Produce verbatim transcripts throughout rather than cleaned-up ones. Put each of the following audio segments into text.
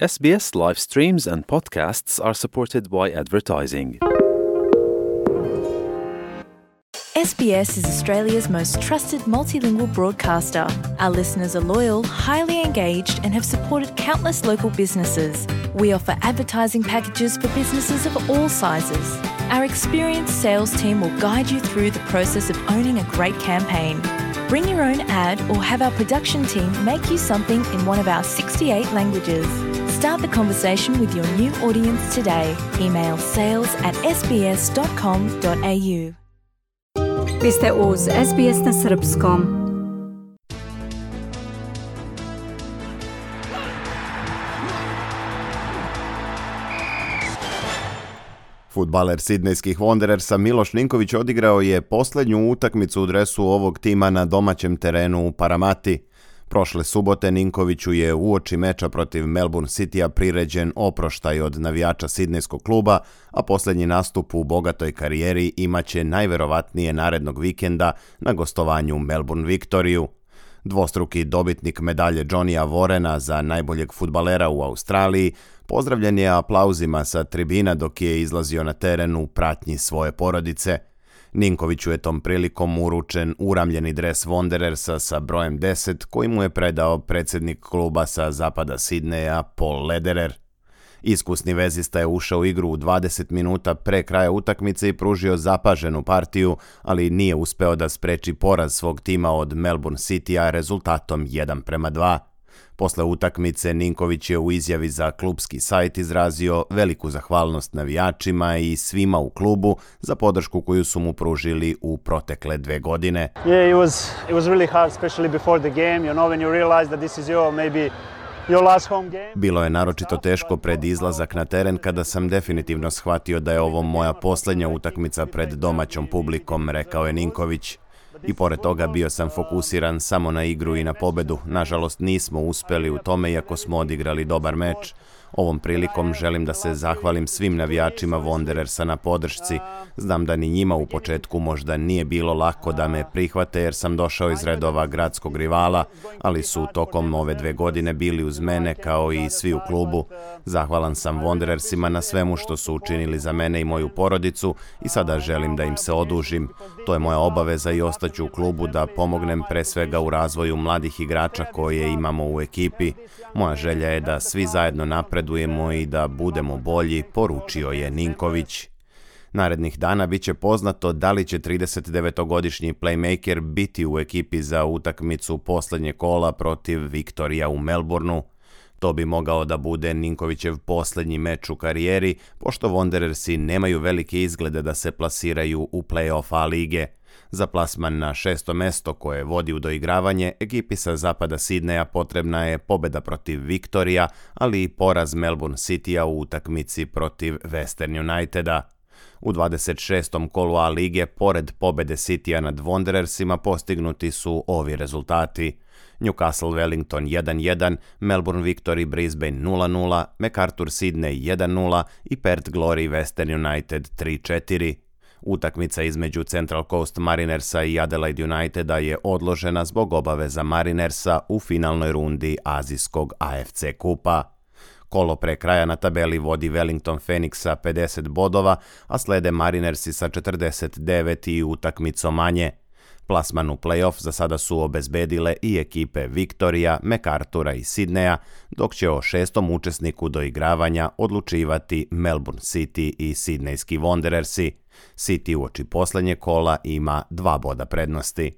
S B S live streams and podcasts are supported by advertising. S B S is Australia's most trusted multilingual broadcaster. Our listeners are loyal, highly engaged, and have supported countless local businesses. We offer advertising packages for businesses of all sizes. Our experienced sales team will guide you through the process of owning a great campaign. Bring your own ad or have our production team make you something in one of our sixty-eight languages. Start the conversation with your new audience today. Email sales at s b s dot com dot a u. Vi ste uz S B S na srpskom. Fudbaler sidnejskih Wanderersa Miloš Ninković odigrao je posljednju utakmicu u dresu ovog tima na domaćem terenu u Paramati. Prošle subote Ninkoviću je uoči meča protiv Melbourne Citya priređen oproštaj od navijača sidnejskog kluba, a posljednji nastup u bogatoj karijeri imaće najverovatnije narednog vikenda na gostovanju Melbourne Victoriju. Dvostruki dobitnik medalje Johnnyja Warrena za najboljeg fudbalera u Australiji pozdravljen je aplauzima sa tribina dok je izlazio na teren u pratnji svoje porodice. Ninkoviću je tom prilikom uručen uramljeni dres Wanderersa sa brojem deset koji mu je predao predsjednik kluba sa zapada Sidneja Paul Lederer. Iskusni vezista je ušao u igru u dvadeset minuta pre kraja utakmice i pružio zapaženu partiju, ali nije uspeo da spreči poraz svog tima od Melbourne Citya rezultatom jedan prema dva. Posle utakmice Ninković je u izjavi za klubski sajt izrazio veliku zahvalnost navijačima i svima u klubu za podršku koju su mu pružili u protekle dve godine. Yeah, it was it was really hard, especially before the game. You know, when you realize that this is your maybe your last home game. Bilo je naročito teško pred izlazak na teren kada sam definitivno shvatio da je ovo moja posljednja utakmica pred domaćom publikom, rekao je Ninković. I pored toga bio sam fokusiran samo na igru i na pobedu. Nažalost nismo uspeli u tome iako smo odigrali dobar meč. Ovom prilikom želim da se zahvalim svim navijačima Wanderersa na podršci. Znam da ni njima u početku možda nije bilo lako da me prihvate jer sam došao iz redova gradskog rivala, ali su tokom ove dve godine bili uz mene kao i svi u klubu. Zahvalan sam Wanderersima na svemu što su učinili za mene i moju porodicu i sada želim da im se odužim. To je moja obaveza i ostaću u klubu da pomognem pre svega u razvoju mladih igrača koje imamo u ekipi. Moja želja je da svi zajedno napredujemo i da budemo bolji, poručio je Ninković. Narednih dana bit će poznato da li će tridesetdevetogodišnji playmaker biti u ekipi za utakmicu posljednje kola protiv Victorija u Melbourneu. To bi mogao da bude Ninkovićev posljednji meč u karijeri, pošto Wanderersi nemaju velike izglede da se plasiraju u play-off A lige. Za plasman na šesto mesto koje vodi u doigravanje, ekipi sa zapada Sidneja potrebna je pobjeda protiv Victorija, ali i poraz Melbourne Citya u utakmici protiv Western Uniteda. U dvadeset šestom kolu A lige, pored pobjede Citya nad Wanderersima, postignuti su ovi rezultati: Newcastle Wellington jedan jedan, Melbourne Victory Brisbane nula nula, MacArthur Sydney jedan nula i Perth Glory Western United tri četiri. Utakmica između Central Coast Marinersa i Adelaide Uniteda je odložena zbog obaveza Marinersa u finalnoj rundi azijskog A F C kupa. Kolo pre kraja na tabeli vodi Wellington Phoenix sa pedeset bodova, a slede Marinersi sa četrdeset devet i utakmicom manje. Plasman u play-off za sada su obezbedile i ekipe Victorija, MacArthura i Sidneja, dok će o šestom učesniku doigravanja odlučivati Melbourne City i sidnejski Wanderersi. City uoči posljednje kola ima dva boda prednosti.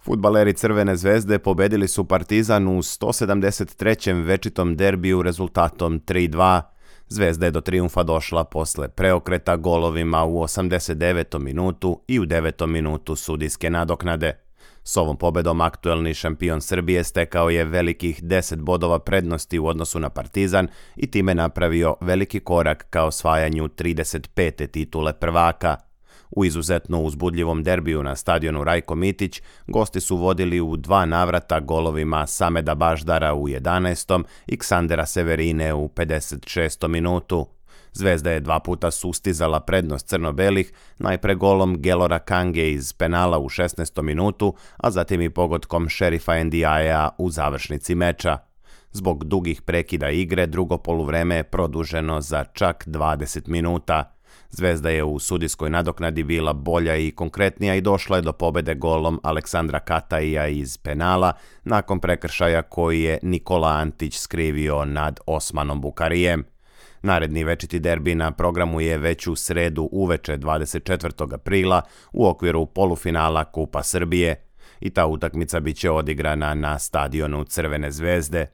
Fudbaleri Crvene zvezde pobedili su Partizan u sto sedamdeset trećem večitom derbiju rezultatom tri dva. Zvezda je do trijumfa došla posle preokreta golovima u osamdeset devetom minutu i u devetom minutu sudijske nadoknade. S ovom pobedom aktuelni šampion Srbije stekao je velikih deset bodova prednosti u odnosu na Partizan i time napravio veliki korak ka osvajanju trideset pete titule prvaka. U izuzetno uzbudljivom derbiju na stadionu Rajko Mitić gosti su vodili u dva navrata golovima Sameda Baždara u jedanaestom i Ksandera Severine u pedeset šestom minutu. Zvezda je dva puta sustizala prednost crno-belih, najpre golom Gelora Kange iz penala u šesnaestom minutu, a zatim i pogodkom Šerifa Ndiaye u završnici meča. Zbog dugih prekida igre, drugo poluvreme je produženo za čak dvadeset minuta. Zvezda je u sudijskoj nadoknadi bila bolja i konkretnija i došla je do pobede golom Aleksandra Kataija iz penala nakon prekršaja koji je Nikola Antić skrivio nad Osmanom Bukarijem. Naredni večiti derbi na programu je već u sredu uveče dvadeset četvrtog aprila u okviru polufinala Kupa Srbije i ta utakmica bit će odigrana na stadionu Crvene zvezde.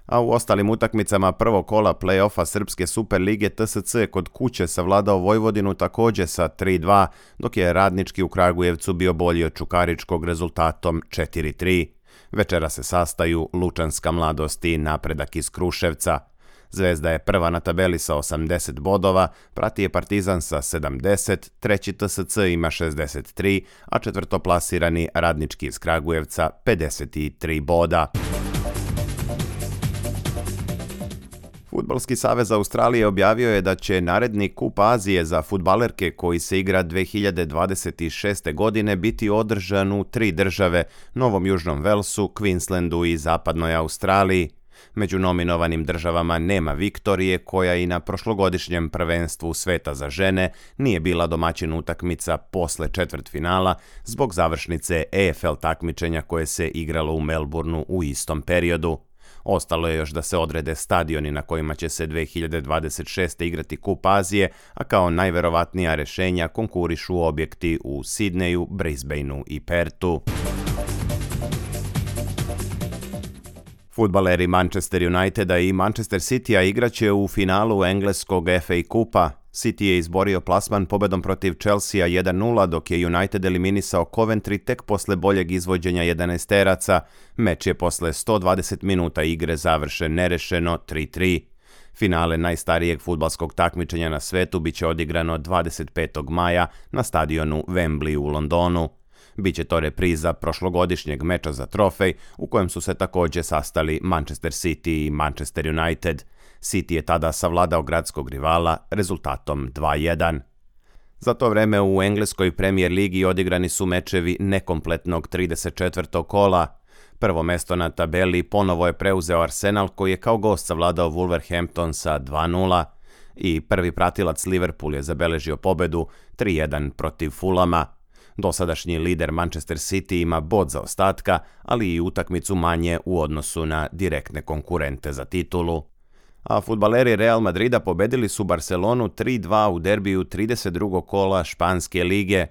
A u ostalim utakmicama prvog kola play-offa Srpske Super lige T S C kod kuće savladao Vojvodinu također sa tri dva, dok je Radnički u Kragujevcu bio bolji od Čukaričkog rezultatom četiri tri. Večera se sastaju Lučanska mladost i Napredak iz Kruševca. Zvezda je prva na tabeli sa osamdeset bodova, prati je Partizan sa sedamdeset, treći T S C ima šezdeset tri, a četvrtoplasirani Radnički iz Kragujevca pedeset tri boda. Fudbalski savez Australije objavio je da će naredni Kup Azije za fudbalerke koji se igra dve hiljade dvadeset šeste. godine biti održan u tri države, Novom Južnom Velsu, Queenslandu i Zapadnoj Australiji. Među nominovanim državama nema Viktorije, koja i na prošlogodišnjem prvenstvu sveta za žene nije bila domaćin utakmica posle četvrtfinala zbog završnice E F L takmičenja koje se igralo u Melbourneu u istom periodu. Ostalo je još da se odrede stadioni na kojima će se dve hiljade dvadeset šeste. igrati Kup Azije, a kao najverovatnija rešenja konkurišu objekti u Sidneju, Brisbaneu i Pertu. Fudbaleri Manchester Uniteda i Manchester Citya igraće u finalu engleskog F A Kupa. City je izborio plasman pobedom protiv Chelsea jedan nula, dok je United eliminisao Coventry tek posle boljeg izvođenja jedanaesteraca. Meč je posle sto dvadeset minuta igre završen nerešeno tri tri. Finale najstarijeg fudbalskog takmičenja na svetu biće odigrano dvadeset petog maja na stadionu Wembley u Londonu. Biće to repriza prošlogodišnjeg meča za trofej u kojem su se također sastali Manchester City i Manchester United. City je tada savladao gradskog rivala rezultatom dva jedan. Za to vreme u engleskoj Premier ligi odigrani su mečevi nekompletnog trideset četvrtog kola. Prvo mesto na tabeli ponovo je preuzeo Arsenal koji je kao gost savladao Wolverhampton sa dva nula. I prvi pratilac Liverpool je zabeležio pobedu tri jedan protiv Fulama. Dosadašnji lider Manchester City ima bod zaostatka, ali i utakmicu manje u odnosu na direktne konkurente za titulu. A fudbaleri Real Madrida pobedili su Barcelonu tri dva u derbiju trideset drugog kola Španske lige.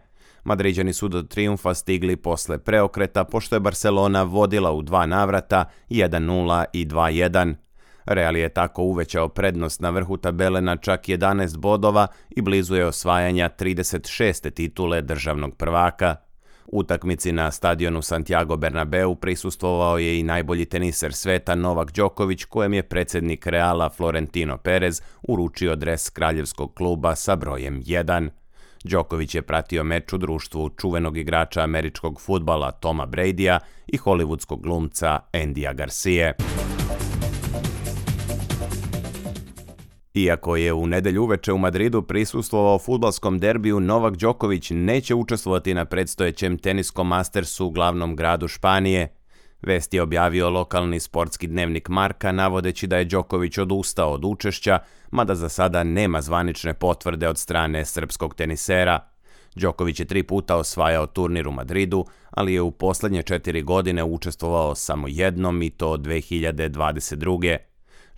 Madriđani su do trijumfa stigli posle preokreta, pošto je Barcelona vodila u dva navrata jedan nula i dva jedan. Real je tako uvećao prednost na vrhu tabele na čak jedanaest bodova i blizu je osvajanja trideset šeste titule državnog prvaka. Utakmici na stadionu Santiago Bernabeu prisustvovao je i najbolji teniser sveta Novak Đoković, kojem je predsjednik Reala Florentino Perez uručio dres kraljevskog kluba sa brojem jedan. Đoković je pratio meč u društvu čuvenog igrača američkog fudbala Toma Bradya i hollywoodskog glumca Andyja Garcije. Iako je u nedelju uveče u Madridu prisustvovao fudbalskom derbiju, Novak Đoković neće učestvovati na predstojećem teniskom Mastersu u glavnom gradu Španije. Vest je objavio lokalni sportski dnevnik Marka, navodeći da je Đoković odustao od učešća, mada za sada nema zvanične potvrde od strane srpskog tenisera. Đoković je tri puta osvajao turnir u Madridu, ali je u posljednje četiri godine učestvovao samo jednom i to dve hiljade dvadeset druge.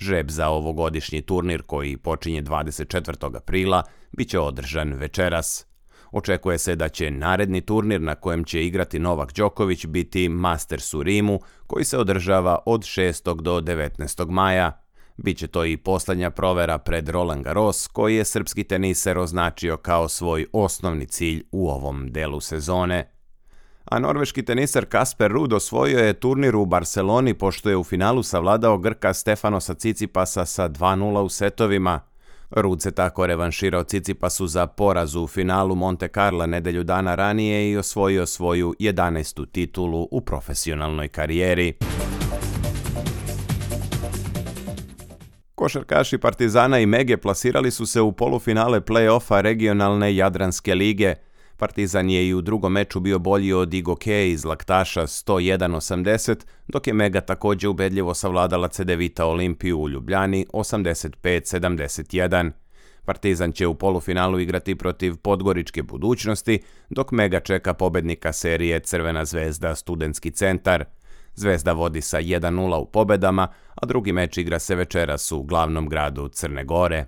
Žreb za ovogodišnji turnir, koji počinje dvadeset četvrtog aprila, bit će održan večeras. Očekuje se da će naredni turnir na kojem će igrati Novak Đoković biti Masters u Rimu, koji se održava od šestog do devetnaestog maja. Biće to i posljednja provera pred Roland Garros, koji je srpski teniser označio kao svoj osnovni cilj u ovom delu sezone. A norveški teniser Kasper Ruud osvojio je turnir u Barceloni pošto je u finalu savladao Grka Stefanosa Cicipasa sa dva nula u setovima. Ruud se tako revanširao Cicipasu za poraz u finalu Monte Carla nedelju dana ranije i osvojio svoju jedanaestu titulu u profesionalnoj karijeri. Košarkaši Partizana i Mege plasirali su se u polufinale play-offa regionalne Jadranske lige. Partizan je i u drugom meču bio bolji od Igoke iz Laktaša sto jedan osamdeset, dok je Mega također ubedljivo savladala Cedevita Olimpiju u Ljubljani osamdeset pet sedamdeset jedan. Partizan će u polufinalu igrati protiv Podgoričke Budućnosti, dok Mega čeka pobednika serije Crvena zvezda Studentski centar. Zvezda vodi sa jedan nula u pobedama, a drugi meč igra se večeras u glavnom gradu Crne Gore.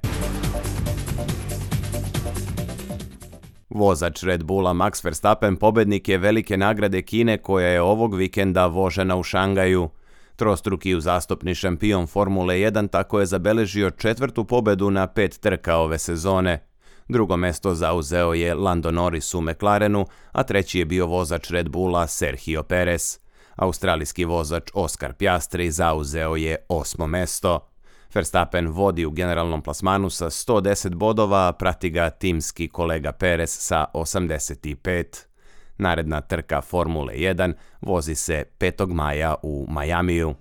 Vozač Red Bulla Max Verstappen pobednik je velike nagrade Kine koja je ovog vikenda vožena u Šangaju. Trostruki uzastopni šampion Formule jedan tako je zabeležio četvrtu pobedu na pet trka ove sezone. Drugo mesto zauzeo je Lando Norris u McLarenu, a treći je bio vozač Red Bulla Sergio Perez. Australijski vozač Oscar Piastri zauzeo je osmo mesto. Verstappen vodi u generalnom plasmanu sa sto deset bodova, a prati ga timski kolega Perez sa osamdeset pet. Naredna trka Formule jedan vozi se petog maja u Majamiju.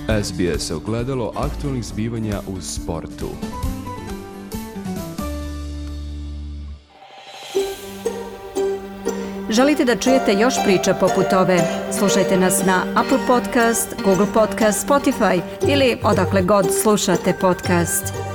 S B S ogledalo aktualnih zbivanja u sportu. Želite da čujete još priča poput ove? Slušajte nas na Apple Podcast, Google Podcast, Spotify ili odakle god slušate podcast.